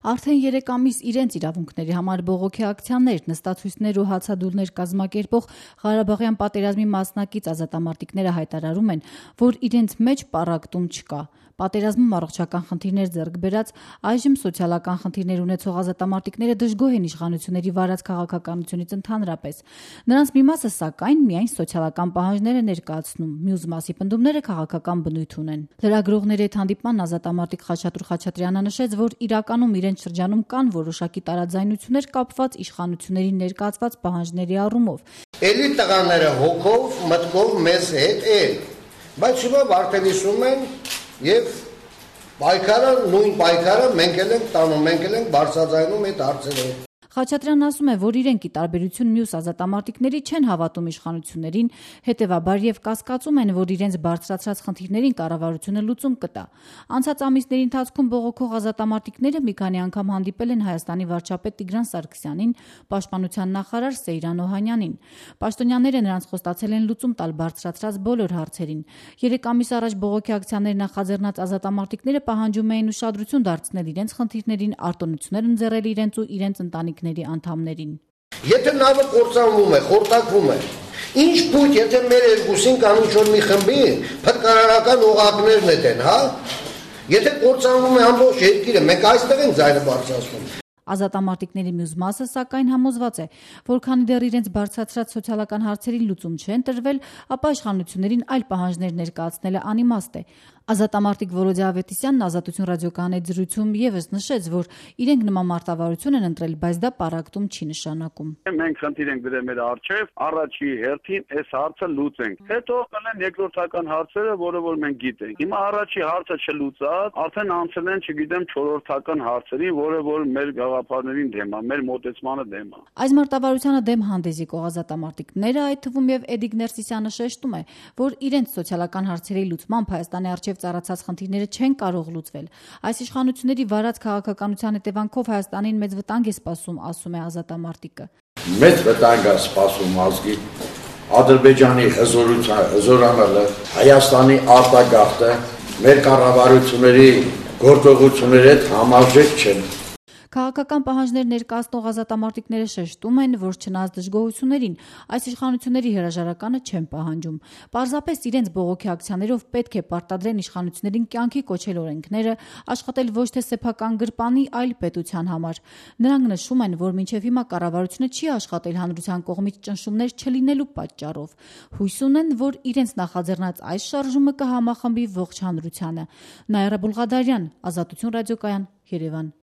Արդեն 3 ամիս իրենց իրավունքների համար բողոքի ակցիաներ, նստացույցներ ու հացադուլներ կազմակերպող Ղարաբաղյան պատերազմի մասնակից ազատամարտիկները հայտարարում են, որ իրենց մեջ պառակտում չկա։ Պատերազմում առողջական խնդիրներ ձեռք բերած, այժմ սոցիալական խնդիրներ ունեցող ազատամարտիկները դժգոհ են իշխանությունների վարած քաղաքականությունից ընդհանրապես։ Նրանց մի մասը, սակայն, միայն սոցիալական պահանջներ է ներկայացնում, մյուս մասի պնդումները քաղաքական բնույթ ունեն։ Լրագրողների հետ հանդիպման ազատամարտիկ Խաչատուր Խաչատրյանը նշեց, որ իրականում իրենց շրջանում կան որոշակի տարաձայնություններ կապված իշխանությունների ներկայացված պահանջների առումով։ Էլի տղաները հոգով, մտքով մեզ հետ են, բայց հիմա վարտելիսում են եւ պայքարը, նույն պայքարը մենք էլ ենք տանում, մենք էլ ենք բարձրաձայնում այդ հարցերը։ Խաչատրյանն ասում է, որ իրենք ի տարբերություն մյուս ազատամարտիկների չեն հավատում իշխանություններին, հետևաբար եւ կասկածում են, որ իրենց բարձրացրած խնդիրներին կառավարությունը լուծում կտա։ Անցած ամիսների ընթացքում բողոքող ազատամարտիկները մի քանի անգամ հանդիպել են Հայաստանի վարչապետ Տիգրան Սարգսյանին, պաշտպանության նախարար Սեյրան Օհանյանին։ Պաշտոնյաները նրանց խոստացել են լուծում տալ բարձրացրած բոլոր հարցերին։ 3 ամիս առաջ բողոքի ակցիաներ նախաձեռնած ազատամարտիկները պահանջում էին ուշադրություն դարձնել իրենց խնդիրներին, արտոնություններ ընձեռել իրենց ու իրենց ընտանիքների անդամներին։ Եթե նավը կործանվում է, խորտակվում է, ինչ փույթ, եթե մեր երկուսին կամ ինչ-որ մի խմբի փրկարարական օղակներն են, հա? Եթե կործանվում է ամբողջ երկիրը, մենք այստեղ ենք ձայնը բարձրացնում։ Ազատամարտիկների մյուս մասը, սակայն, համոզված է, որ քանի դեռ իրենց բարձրացրած սոցիալական հարցերին լուծում չեն տրվել, ապա իշխանություններին այլ պահանջներ ներկայացնելը անիմաստ է։ Ազատամարտիկ Վոլոդիա Ավետիսյանն Ազատություն ռադիոկայանի հետ զրույցում ևս նշեց, որ իրենք նման մարտավարություն են ընտրել, բայց դա պառակտում չի նշանակում։ Մենք խնդիր ենք դրել մեր առջև, առաջի հերթին այս հարցը լուծենք։ Հետո կլեն երկրորդական հարցերը, որը որ մենք գիտենք։ Հիմա առաջի հարցը չլուծած, արդեն անցել են, չգիտեմ, չորրորդական հարցերի, որը որ մեր գաղափարներին դեմ է, մեր մոտեցմանը դեմ է։ Այս մարտավարությանը դեմ հանդես եկող ազատամարտիկները, այդ թվում եւ Էդիկ Ներսիսյանը շեշտում է, որ իրենց սոցիալական հարցերի լուծմամբ Հայաստանի առջև ծառացած խնդիրները չեն կարող լուծվել։ Այս իշխանությունների վարած քաղաքականության հետևանքով Հայաստանին մեծ վտանգ է սպասում, ասում է ազատամարտիկը։ Մեծ վտանգ է սպասում ազգի Ադրբեջանի հզորանալը, Հայաստանի արտագաղթը մեր կառավարությունների գործողությունների հետ համարժեք չեն։ Քաղաքական պահանջներ ներկայացնող ազատամարտիկները շեշտում են, որ չնայած դժգոհություններին, այս իշխանությունների հրաժարականը չեն պահանջում։ Պարզապես իրենց բողոքի ակցիաներով պետք է պարտադրեն իշխանություններին կյանքի կոչել օրենքները, աշխատել ոչ թե սեփական գրպանի, այլ պետության համար։ Նրանք նշում են, որ մինչև հիմա կառավարությունը չի աշխատել հանրության կողմից ճնշումներ չլինելու պատճառով։ Հույս ունեն, որ իրենց նախաձեռնած այս շարժումը կհամախմբի ողջ հանրությանը։ Նաիրա Բուլղադարյան, Ազատություն ռադիոկայան, Երևան։